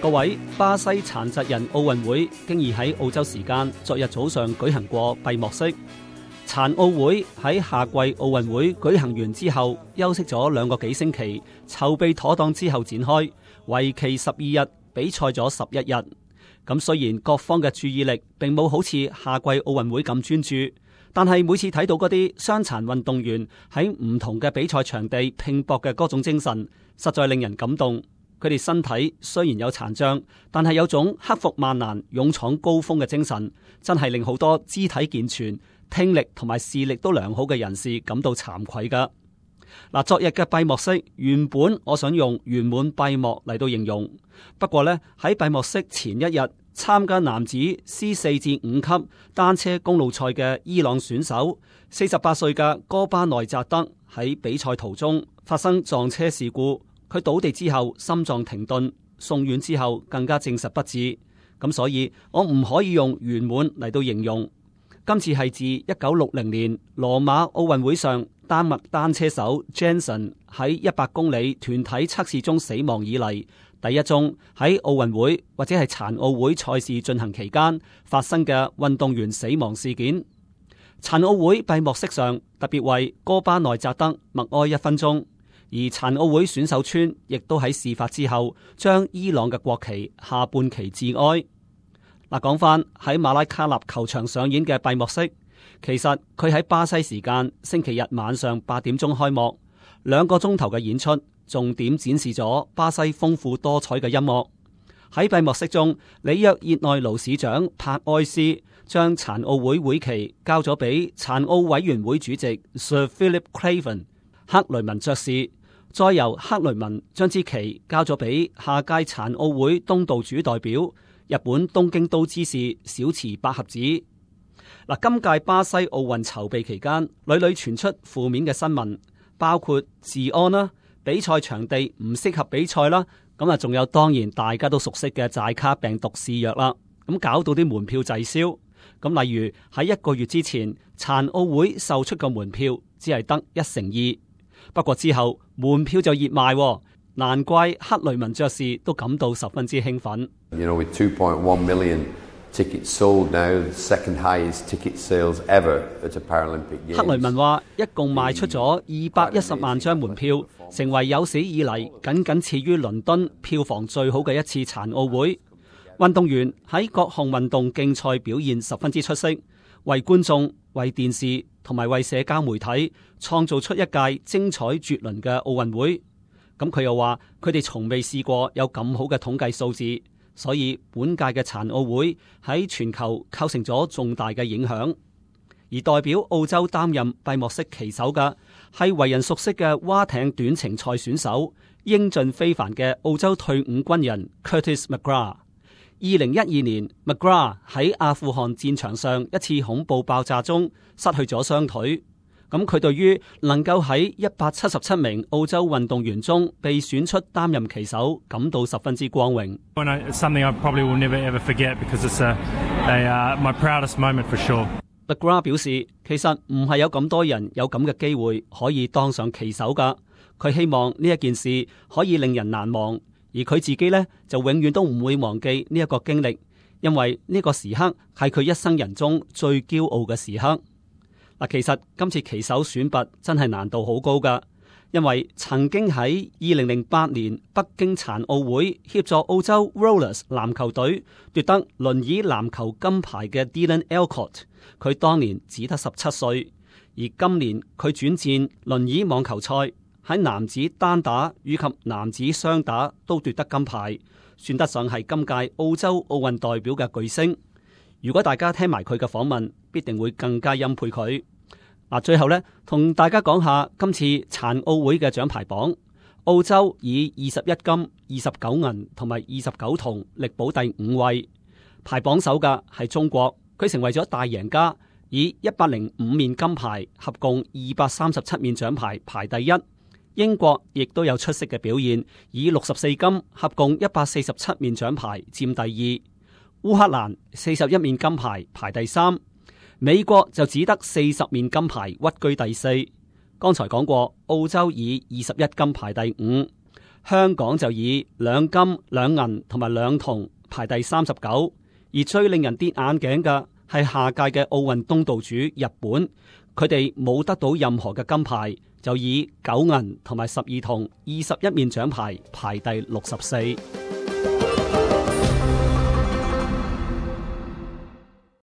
各位，巴西殘疾人奧運會經已喺澳洲時間昨日早上舉行過閉幕式。殘奧會喺夏季奧運會舉行完之後，休息咗2個幾星期，籌備妥當之後展開，為期12日，比賽咗11日。咁雖然各方嘅注意力並冇好似夏季奧運會咁專注，但係每次睇到嗰啲傷殘運動員喺唔同嘅比賽場地拼搏嘅嗰種精神，實在令人感動。佢哋身體雖然有殘障，但係有種克服萬難、勇闖高峰嘅精神，真係令好多肢體健全、聽力同埋視力都良好嘅人士感到慚愧噶。嗱，昨日嘅閉幕式原本我想用圓滿閉幕嚟到形容，不過呢，喺閉幕式前一日，參加男子 C4至5級單車公路賽嘅伊朗選手48歲嘅哥巴內扎德喺比賽途中發生撞車事故。佢倒地之後心臟停頓，送院之後更加證實不治。咁所以我唔可以用圓滿嚟到形容。今次係自1960年羅馬奧運會上丹麥單車手 Jensen 喺100公里團體測試中死亡以嚟，第一宗喺奧運會或者係殘奧會賽事進行期間發生嘅運動員死亡事件。殘奧會閉幕式上特別為哥巴內扎德默哀1分鐘。而殘奧會選手村亦都喺事發之後將伊朗嘅國旗下半旗致哀。嗱，講翻喺馬拉卡納球場上演嘅閉幕式，其實佢喺巴西時間星期日晚上8點鐘開幕，2個鐘頭嘅演出，重點展示咗巴西豐富多彩嘅音樂。喺閉幕式中，里約熱內盧市長帕埃斯將殘奧會會旗交咗俾殘奧委員會主席 Sir Philip Craven 克雷文爵士。再由克雷文將支旗交咗俾下屆殘奧會東道主代表日本東京都知事小池百合子。嗱，今屆巴西奧運籌備期間，屢屢傳出負面嘅新聞，包括治安啦、比賽場地唔適合比賽啦，咁啊，仲有當然大家都熟悉嘅寨卡病毒肆虐啦，咁搞到啲門票滯銷。咁例如喺1個月之前，殘奧會售出嘅門票只係得1/2。不過之後門票就熱賣，難怪克雷文爵士都感到十分之興奮。With 2.1 million tickets sold now, the second highest ticket sales ever at a Paralympic Games。克雷文話，一共賣出咗210萬張門票，成為有史以嚟僅次於倫敦票房最好嘅一次殘奧會。運動員喺各項運動競賽表現十分之出色，為觀眾、為電視同埋為社交媒體創造出一屆精彩絕倫嘅奧運會。咁佢又話，佢哋從未試過有咁好嘅統計數字，所以本屆嘅殘奧會喺全球構成咗重大嘅影響。而代表澳洲擔任閉幕式旗手嘅係為人熟悉嘅划艇短程賽選手，英俊非凡嘅澳洲退伍軍人 Curtis McGrath。2012年 McGrath 喺阿富汗戰場上一次恐怖爆炸中失去咗雙腿，咁佢對於能夠喺177名澳洲運動員中被選出擔任旗手感到十分之光榮。McGrath 表示，其實唔係有咁多人有咁嘅機會可以當上旗手噶，佢希望呢一件事可以令人難忘。而佢自己呢，就永遠都唔會忘記呢一個經歷，因為呢個時刻係佢一生人中最驕傲嘅時刻。嗱，其實今次旗手選拔真係難度好高噶，因為曾經喺2008年北京殘奧會協助澳洲 Rollers 籃球隊奪得輪椅籃球金牌嘅 Dylan Alcott， 佢當年只得17歲，而今年佢轉戰輪椅網球賽。喺男子單打以及男子雙打都奪得金牌，算得上係今屆澳洲奧運代表嘅巨星。如果大家聽埋佢嘅訪問，必定會更加欽佩佢。嗱，最後呢，同大家講下今次殘奧會嘅獎牌榜。澳洲以21金、29銀同埋29銅力保第5位，排榜首嘅係中國，佢成為咗大贏家，以105面金牌，合共237面獎牌排第一。英國亦都有出色嘅表現，以64金合共147面獎牌佔第二。烏克蘭41面金牌排第三，美國就只得40面金牌屈居第四。剛才講過，澳洲以21金排第五，香港就以2金、2銀同埋2銅排第39，而最令人跌眼鏡嘅係下屆嘅奧運東道主日本，佢哋冇得到任何嘅金牌，就以9銀同埋12銅21面獎牌排第64。